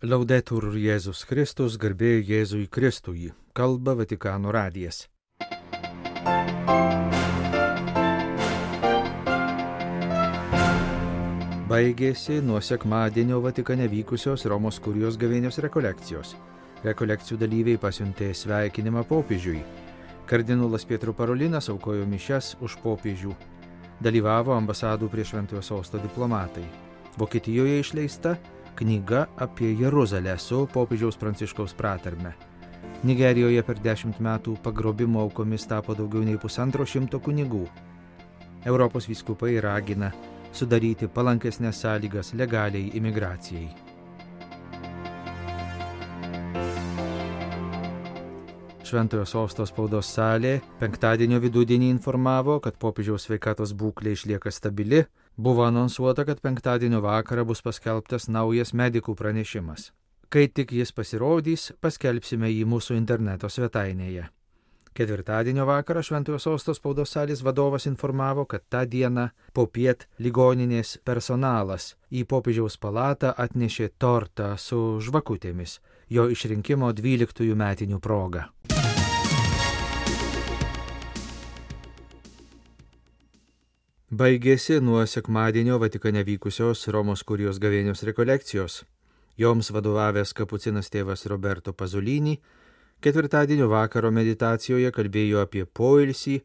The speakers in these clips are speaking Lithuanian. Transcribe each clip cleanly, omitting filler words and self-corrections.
Laudetur Jėzus Kristus, garbė Jėzui Kristui, kalba Vatikano radijas. Baigėsi nuo sekmadienio Vatikane vykusios Romos kurijos gavėnios rekolekcijos. Rekolekcijų dalyviai pasiuntė sveikinimą popiežiui. Kardinolas Pietro Parolinas aukojo mišias už popiežių. Dalyvavo ambasadų prie Šventojo Sosto diplomatai. Vokietijoje išleista knyga apie Jeruzalę su popiežiaus Pranciškaus pratarme. Nigerijoje per 10 metų pagrobimo aukomis tapo daugiau nei 150 kunigų. Europos vyskupai ragina sudaryti palankesnės sąlygas legaliai imigracijai. Šventojo Sosto spaudos salė penktadienio vidudienį informavo, kad popiežiaus sveikatos būklė išlieka stabili. Buvo anonsuota, kad penktadienio vakarą bus paskelbtas naujas medikų pranešimas. Kai tik jis pasirodys, paskelbsime jį mūsų interneto svetainėje. Ketvirtadienio vakarą Šventojo Sosto spaudos salės vadovas informavo, kad tą dieną popiet ligoninės personalas į popiežiaus palatą atnešė tortą su žvakutėmis, jo išrinkimo 12 metinių proga. Baigėsi nuo sekmadienio Vatikane vykusios Romos kurijos gavėnios rekolekcijos. Joms vadovavęs kapucinas tėvas Roberto Pasolini ketvirtadienio vakaro meditacijoje kalbėjo apie poilsį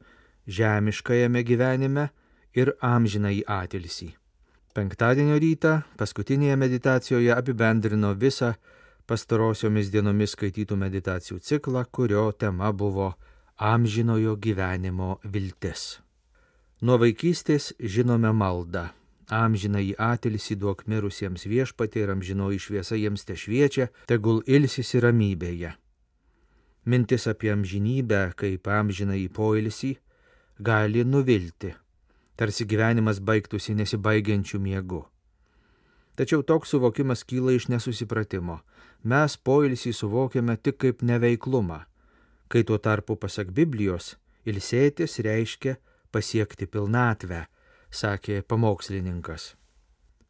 žemiškajame gyvenime ir amžinąjį atilsį. Penktadienio rytą paskutinėje meditacijoje apibendrino visą pastarosiomis dienomis skaitytų meditacijų ciklą, kurio tema buvo amžinojo gyvenimo viltis. Nuo vaikystės žinome maldą. Amžinąjį atilsį duok mirusiems viešpatie ir amžinoji šviesa jiems tešviečia, tegul ilsisi ramybėje. Mintis apie amžinybę kaip amžinąjį poilsį gali nuvilti, tarsi gyvenimas baigtųsi nesibaigiančių miegu. Tačiau toks suvokimas kyla iš nesusipratimo. Mes poilsį suvokiame tik kaip neveiklumą, kai tuo tarpu pasak Biblijos ilsėtis reiškia pasiekti pilnatvę, sakė pamokslininkas.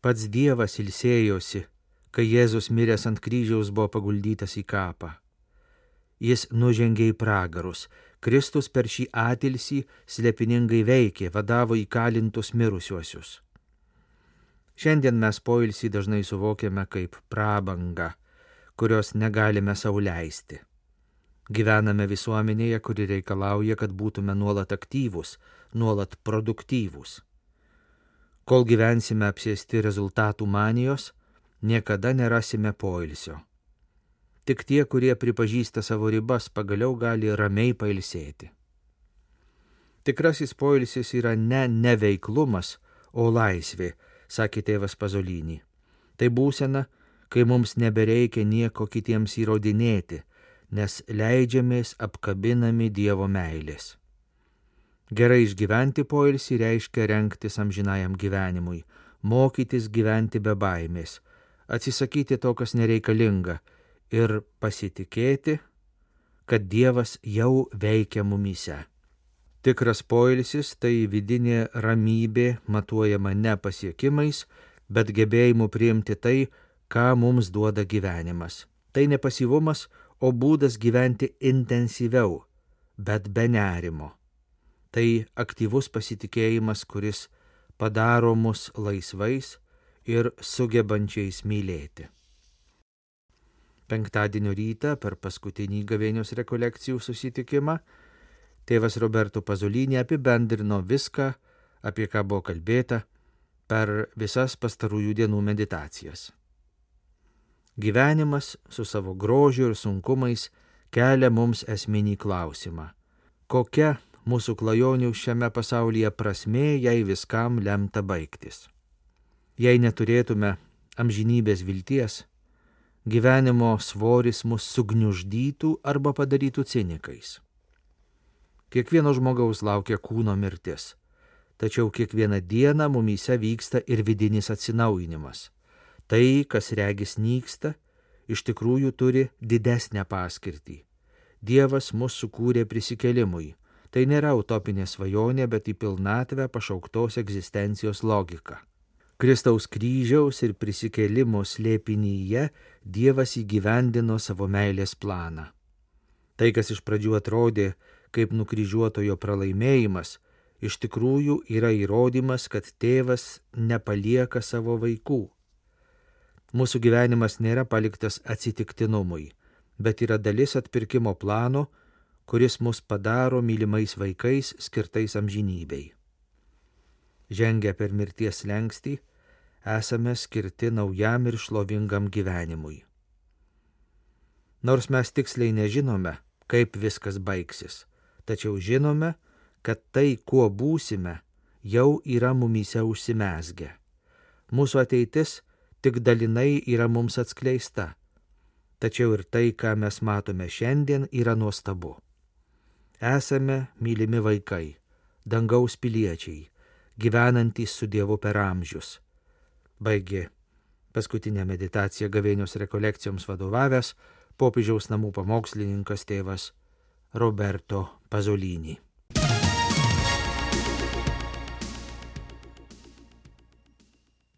Pats Dievas ilsėjosi, kai Jėzus miręs ant kryžiaus buvo paguldytas į kapą. Jis nužengė į pragarus. Kristus per šį atilsį slėpiningai veikė, vadavo įkalintus mirusiuosius. Šiandien mes poilsį dažnai suvokiame kaip prabangą, kurios negalime sau leisti. Gyvename visuomenėje, kuri reikalauja, kad būtume nuolat aktyvūs, nuolat produktyvūs. Kol gyvensime apsėsti rezultatų manijos, niekada nerasime poilsio. Tik tie, kurie pripažįsta savo ribas, pagaliau gali ramiai pailsėti. Tikrasis poilsis yra ne neveiklumas, o laisvė, sakė tėvas Pasolini. Tai būsena, kai mums nebereikia nieko kitiems įrodinėti, nes leidžiamės apkabinami Dievo meilės. Gerai išgyventi poilsį reiškia rengtis amžinajam gyvenimui, mokytis gyventi be baimės, atsisakyti to, kas nereikalinga, ir pasitikėti, kad Dievas jau veikia mumyse. Tikras poilsis tai vidinė ramybė, matuojama ne pasiekimais, bet gebėjimu priimti tai, ką mums duoda gyvenimas. Tai ne pasyvumas, o būdas gyventi intensyviau, bet be nerimo. Tai aktyvus pasitikėjimas, kuris padaro mus laisvais ir sugebančiais mylėti. Penktadienio rytą per paskutinį gavėnios rekolekcijų susitikimą tėvas Roberto Pasolini apibendrino viską, apie ką buvo kalbėta per visas pastarųjų dienų meditacijas. Gyvenimas su savo grožiu ir sunkumais kelia mums esminį klausimą. Kokia mūsų klajonių šiame pasaulyje prasmė, jei viskam lemta baigtis? Jei neturėtume amžinybės vilties, gyvenimo svoris mus sugniuždytų arba padarytų cinikais. Kiekvieno žmogaus laukia kūno mirtis, tačiau kiekvieną dieną mumyse vyksta ir vidinis atsinaujinimas. Tai, kas regis nyksta, iš tikrųjų turi didesnę paskirtį. Dievas mus sukūrė prisikėlimui. Tai nėra utopinė svajonė, bet į pilnatvę pašauktos egzistencijos logika. Kristaus kryžiaus ir prisikėlimo slėpinyje Dievas įgyvendino savo meilės planą. Tai, kas iš pradžių atrodė kaip nukryžiuotojo pralaimėjimas, iš tikrųjų yra įrodymas, kad tėvas nepalieka savo vaikų. Mūsų gyvenimas nėra paliktas atsitiktinumui, bet yra dalis atpirkimo plano, kuris mus padaro mylimais vaikais skirtais amžinybei. Žengę per mirties slenkstį, esame skirti naujam ir šlovingam gyvenimui. Nors mes tiksliai nežinome, kaip viskas baigsis, tačiau žinome, kad tai, kuo būsime, jau yra mumyse užsimezgę. Mūsų ateitis tik dalinai yra mums atskleista, tačiau ir tai, ką mes matome šiandien, yra nuostabu. Esame mylimi vaikai, dangaus piliečiai, gyvenantys su Dievu per amžius. Baigė paskutinę meditaciją gavėnios rekolekcijoms vadovavęs popiežiaus namų pamokslininkas tėvas Roberto Pasolini.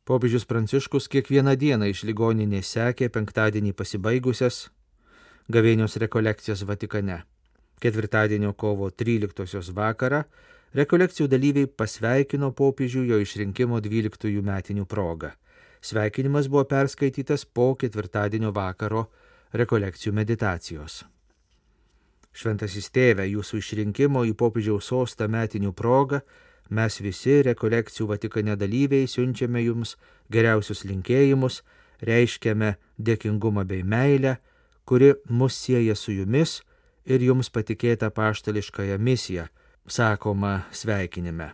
Popiežius Pranciškus kiekvieną dieną iš ligoninės sekė penktadienį pasibaigusias gavėnios rekolekcijas Vatikane. Ketvirtadienio kovo 13 vakarą rekolekcijų dalyviai pasveikino popiežių jo išrinkimo 12 metinių proga. Sveikinimas buvo perskaitytas po ketvirtadienio vakaro rekolekcijų meditacijos. Šventasis tėve, jūsų išrinkimo į popiežiaus sostą metinių proga mes visi rekolekcijų Vatikane dalyviai siunčiame jums geriausius linkėjimus, reiškiame dėkingumą bei meilę, kuri mus sieja su jumis ir jums patikėta apaštališkąją misiją, sakoma sveikinime.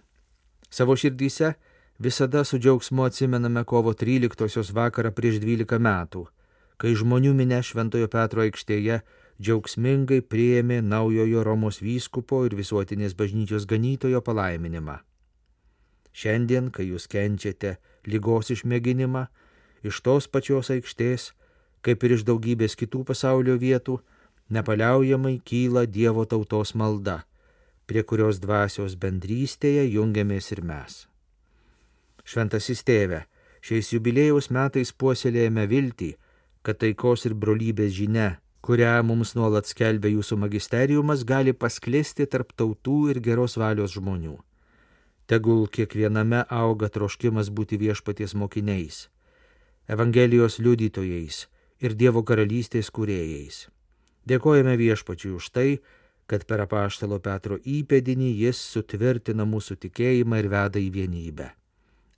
Savo širdyse visada su džiaugsmu atsimename kovo 13 vakarą prieš 12 metų, kai žmonių minia Šventojo Petro aikštėje džiaugsmingai priėmė naujojo Romos vyskupo ir visuotinės bažnyčios ganytojo palaiminimą. Šiandien, kai jūs kenčiate ligos išmėginimą, iš tos pačios aikštės, kaip ir iš daugybės kitų pasaulio vietų, nepaliaujamai kyla Dievo tautos malda, prie kurios dvasios bendrystėje jungiamės ir mes. Šventasis tėve, šiais jubiliejaus metais puoselėjame viltį, kad taikos ir brolybės žinia, kurią mums nuolat skelbia jūsų magisteriumas, gali pasklisti tarp tautų ir geros valios žmonių. Tegul kiekviename auga troškimas būti viešpaties mokiniais, Evangelijos liudytojais ir Dievo karalystės kūrėjais. Dėkojame viešpačiui už tai, kad per apaštalo Petro įpėdinį jis sutvirtina mūsų tikėjimą ir veda į vienybę.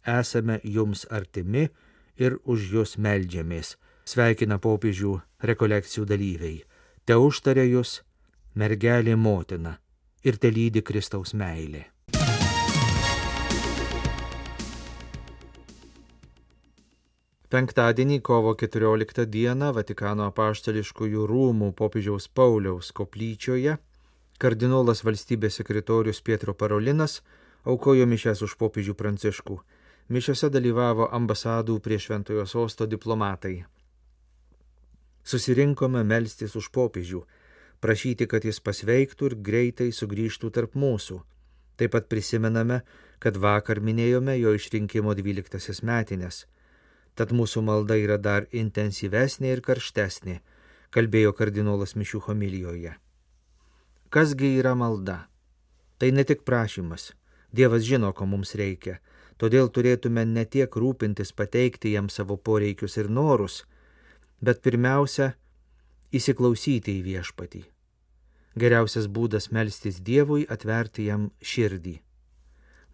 Esame jums artimi ir už jūs meldžiamės, sveikina popiežių rekolekcijų dalyviai. Te užtaria jūs mergelė motina ir te lydi Kristaus meilė. Penktadienį kovo 14 dieną Vatikano apaštališkųjų rūmų popiežiaus Pauliaus koplyčioje kardinolas valstybės sekretorius Pietro Parolinas aukojo mišias už popiežių Pranciškų. Mišiose dalyvavo ambasadų prie Šventojo sosto diplomatai. Susirinkome melstis už popiežių, prašyti, kad jis pasveiktų ir greitai sugrįžtų tarp mūsų. Taip pat prisimename, kad vakar minėjome jo išrinkimo 12 metinės. Tad mūsų malda yra dar intensyvesnė ir karštesnė, kalbėjo kardinolas mišių homilijoje. Kasgi yra malda? Tai ne tik prašymas. Dievas žino, ko mums reikia, todėl turėtume ne tiek rūpintis pateikti jam savo poreikius ir norus, bet pirmiausia, įsiklausyti į viešpatį. Geriausias būdas melstis Dievui atverti jam širdį,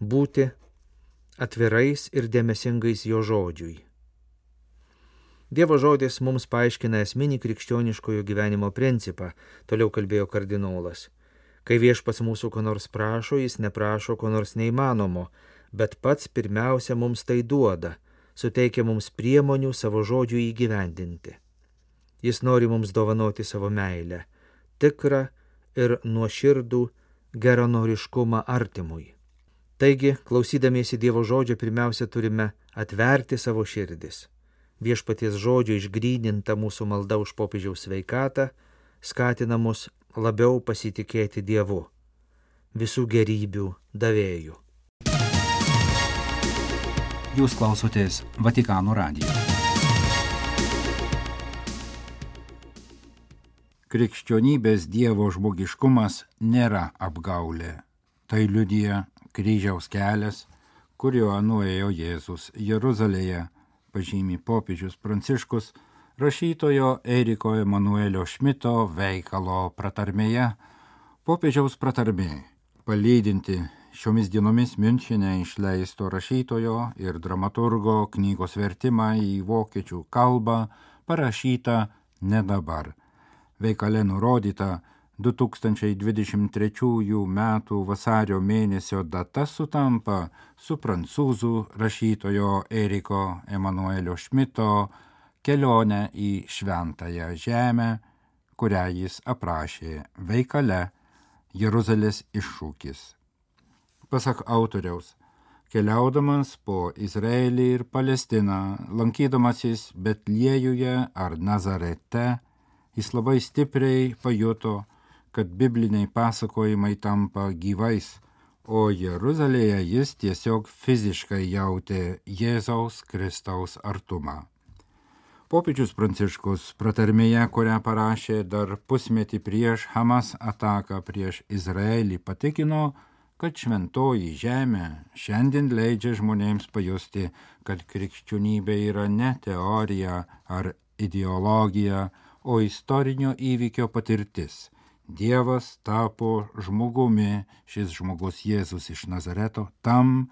būti atvirais ir dėmesingais jo žodžiui. Dievo žodis mums paaiškina esminį krikščioniškojo gyvenimo principą, toliau kalbėjo kardinolas. Kai viešpats mūsų ko nors prašo, jis neprašo ko nors neįmanomo, bet pats pirmiausia mums tai duoda, suteikia mums priemonių savo žodžių įgyvendinti. Jis nori mums dovanoti savo meilę, tikrą ir nuoširdų geranoriškumą artimui. Taigi, klausydamiesi Dievo žodžio, pirmiausia turime atverti savo širdis. Viešpaties žodžio išgryninta mūsų malda už popiežiaus sveikatą skatina mus labiau pasitikėti Dievu, visų gerybių davėju. Jūs klausotės Vatikano radijo. Krikščionybės Dievo žmogiškumas nėra apgaulė. Tai liudija kryžiaus kelias, kuriuo nuėjo Jėzus Jeruzalėje, pažymi popiežius Pranciškus rašytojo Eriko Emanuelio Šmito veikalo pratarmėje. Popiežiaus pratarmė, palydinti šiomis dienomis Miunchene išleisto rašytojo ir dramaturgo knygos vertimą į vokiečių kalbą, parašyta ne dabar. Veikale nurodyta 2023 metų vasario mėnesio data sutampa su prancūzų rašytojo Eriko Emanuelio Šmito kelionę į Šventąją žemę, kurią jis aprašė veikale Jeruzalės iššūkis. Pasak autoriaus, keliaudamas po Izraelį ir Palestiną, lankydamasis Betliejuje ar Nazarete, jis labai stipriai pajuto, kad bibliniai pasakojimai tampa gyvais, o Jeruzalėje jis tiesiog fiziškai jautė Jėzaus Kristaus artumą. Popiežius Pranciškus pratarmėje, kurią parašė dar pusmetį prieš Hamas ataką prieš Izraelį, patikino, kad šventoji žemė šiandien leidžia žmonėms pajusti, kad krikščionybė yra ne teorija ar ideologija, o istorinio įvykio patirtis. Dievas tapo žmogumi, šis žmogus Jėzus iš Nazareto, tam,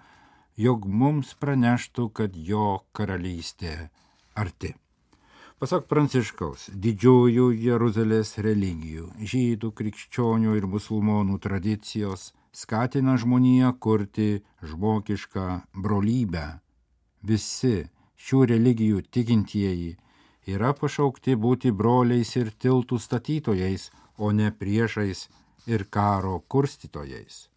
jog mums praneštų, kad jo karalystė arti. Pasak Pranciškaus, didžiųjų Jeruzalės religijų, žydų, krikščionių ir musulmonų tradicijos skatina žmoniją kurti žmogišką brolybę. Visi šių religijų tikintieji yra pašaukti būti broliais ir tiltų statytojais, o ne priešais ir karo kurstytojais.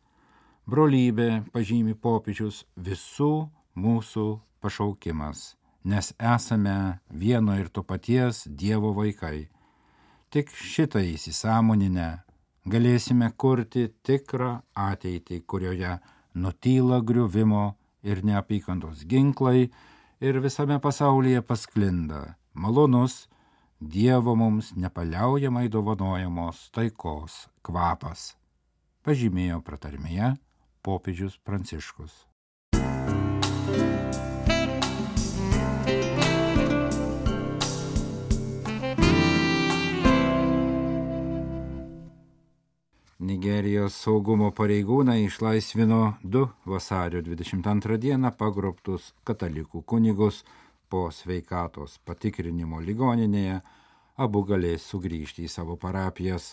Brolybė, pažymi popiežius, visų mūsų pašaukimas, nes esame vieno ir to paties Dievo vaikai. Tik šitą įsisąmoninę galėsime kurti tikrą ateitį, kurioje nutyla griuvimo ir neapykantos ginklai ir visame pasaulyje pasklinda malonus Dievo mums nepaliaujamai dovanojamos taikos kvapas, pažymėjo pratarmėje popiežius Pranciškus. Nigerijos saugumo pareigūnai išlaisvino 2 vasario 22 dieną pagrobtus katalikų kunigus. Po sveikatos patikrinimo ligoninėje abu galės sugrįžti į savo parapijas.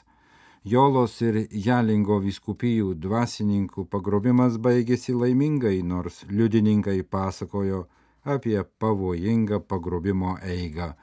Jolos ir Jalingo vyskupijų dvasininkų pagrobimas baigėsi laimingai, nors liudininkai pasakojo apie pavojingą pagrobimo eigą.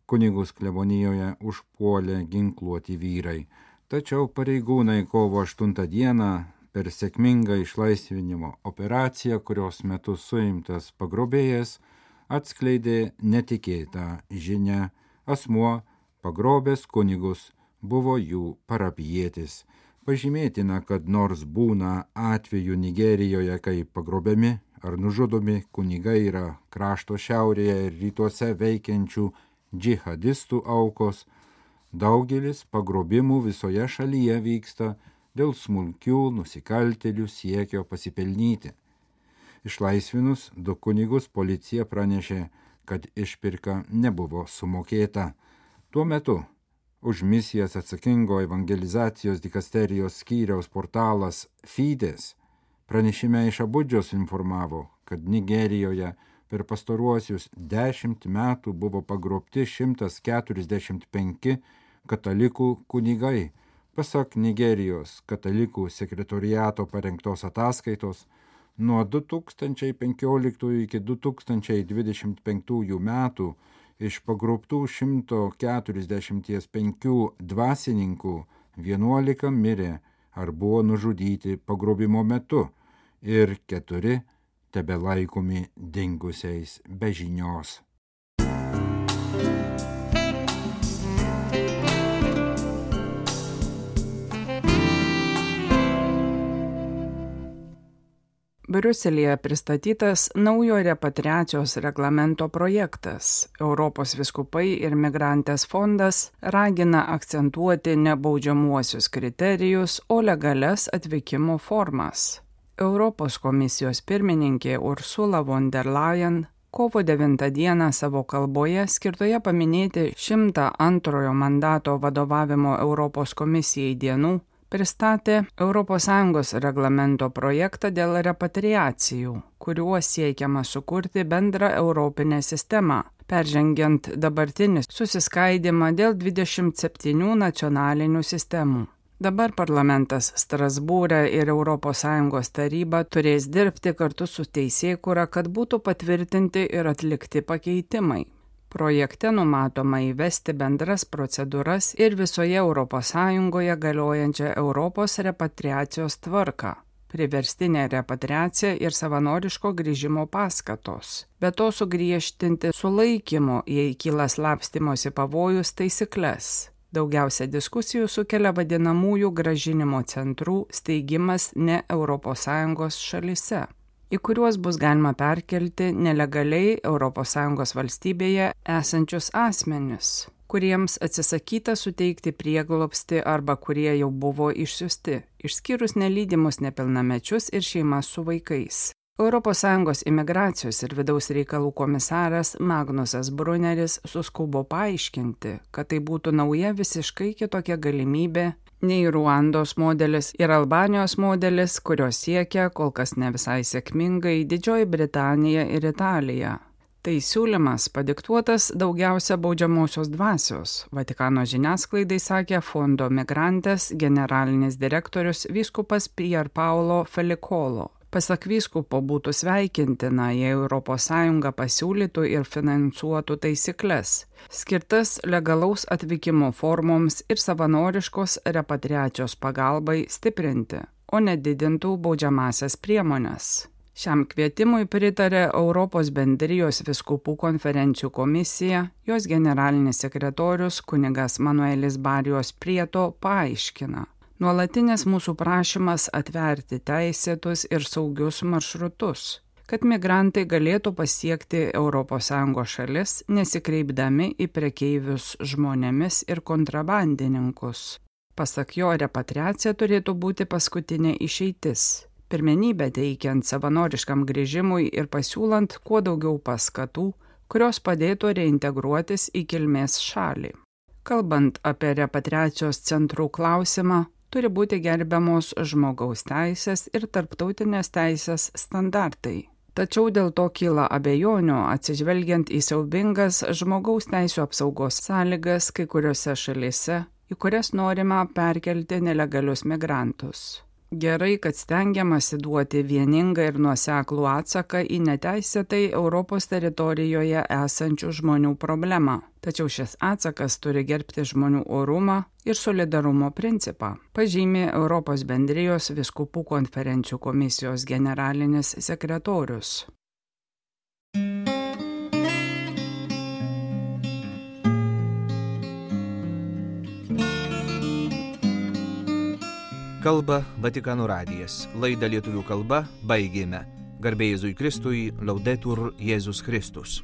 Kunigus klebonijoje užpuolė ginkluoti vyrai. Tačiau pareigūnai kovo 8 dieną per sėkmingą išlaisvinimo operaciją, kurios metu suimtas pagrobėjas, atskleidė netikėtą žinią. Asmuo, pagrobęs kunigus, buvo jų parapijietis. Pažymėtina, kad nors būna atvejų Nigerijoje, kai pagrobiami ar nužudomi kunigai yra krašto šiaurėje ir rytuose veikiančių džihadistų aukos, daugelis pagrobimų visoje šalyje vyksta dėl smulkių nusikaltėlių siekio pasipelnyti. Išlaisvinus 2 kunigus policija pranešė, kad išpirka nebuvo sumokėta. Tuo metu už misijas atsakingo evangelizacijos dikasterijos skyriaus portalas Fides pranešime iš Abudžos informavo, kad Nigerijoje per pastaruosius 10 metų buvo pagrobti 145 katalikų kunigai. Pasak Nigerijos katalikų sekretoriato parengtos ataskaitos, nuo 2015 iki 2025 metų iš pagrobtų 145 dvasininkų 11 mirė ar buvo nužudyti pagrobimo metu ir 4 tebelaikomi dingusiais be žinios. Briuselėje pristatytas naujo repatriacijos reglamento projektas. Europos vyskupai ir migrantės fondas ragina akcentuoti ne baudžiamuosius kriterijus, o legalias atvykimo formas. Europos komisijos pirmininkė Ursula von der Leyen kovo 9 dieną savo kalboje skirtoje paminėti 102 mandato vadovavimo Europos komisijai dienų pristatė ES reglamento projektą dėl repatriacijų, kuriuo siekiama sukurti bendrą europinę sistemą, peržengiant dabartinį susiskaidimą dėl 27 nacionalinių sistemų. Dabar parlamentas Strasbūre ir ES taryba turės dirbti kartu su teisėkūra, kad būtų patvirtinti ir atlikti pakeitimai. Projekte numatoma įvesti bendras procedūras ir visoje ES galiojančią Europos repatriacijos tvarką, priverstinė repatriacija ir savanoriško grįžimo paskatos. Be to sugriežtinti sulaikymo, jei kyla slapstymosi pavojus taisyklės. Daugiausia diskusijų sukelia vadinamųjų grąžinimo centrų steigimas ne ES šalyse, į kuriuos bus galima perkelti nelegaliai ES valstybėje esančius asmenis, kuriems atsisakyta suteikti prieglobstį arba kurie jau buvo išsiųsti, išskyrus nelydimus nepilnamečius ir šeimas su vaikais. ES imigracijos ir vidaus reikalų komisaras Magnusas Brunneris suskubo paaiškinti, kad tai būtų nauja visiškai kitokia galimybė nei Ruandos modelis ir Albanijos modelis, kurios siekia kol kas ne visai sėkmingai Didžioji Britanija ir Italija. Tai siūlymas padiktuotas daugiausia baudžiamosios dvasios, Vatikano žiniasklaidai sakė Fondo Migrantes generalinis direktorius vyskupas Pier Paolo Felicolo. Pasak vyskupo būtų sveikintina, jei ES pasiūlytų ir finansuotų taisyklės, skirtas legalaus atvykimo formoms ir savanoriškos repatriacijos pagalbai stiprinti, o nedidintų baudžiamasias priemones. Šiam kvietimui pritarė Europos bendrijos vyskupų konferencijų komisija, jos generalinis sekretorius kunigas Manuelis Barijos Prieto paaiškina. Nuolatinis mūsų prašymas atverti teisėtus ir saugius maršrutus, kad migrantai galėtų pasiekti ES šalis, nesikreipdami į prekeivius žmonėmis ir kontrabandininkus. Pasak jo, repatriacija turėtų būti paskutinė išeitis, pirmenybę teikiant savanoriškam grįžimui ir pasiūlant kuo daugiau paskatų, kurios padėtų reintegruotis į kilmės šalį. Kalbant apie repatriacijos centrų klausimą, turi būti gerbiamos žmogaus teisės ir tarptautinės teisės standartai. Tačiau dėl to kyla abejonių, atsižvelgiant į siaubingas žmogaus teisių apsaugos sąlygas kai kuriuose šalyse, į kurias norima perkelti nelegalius migrantus. Gerai, kad stengiamasi duoti vieningą ir nuoseklų atsaką į neteisėtai Europos teritorijoje esančių žmonių problemą. Tačiau šis atsakas turi gerbti žmonių orumą ir solidarumo principą, pažymė Europos bendrijos vyskupų konferencijų komisijos generalinis sekretorius. Kalba Vatikano radijas. Laidą lietuvių kalba baigėme. Garbė Jėzui Kristui, Laudetur Jėzus Kristus.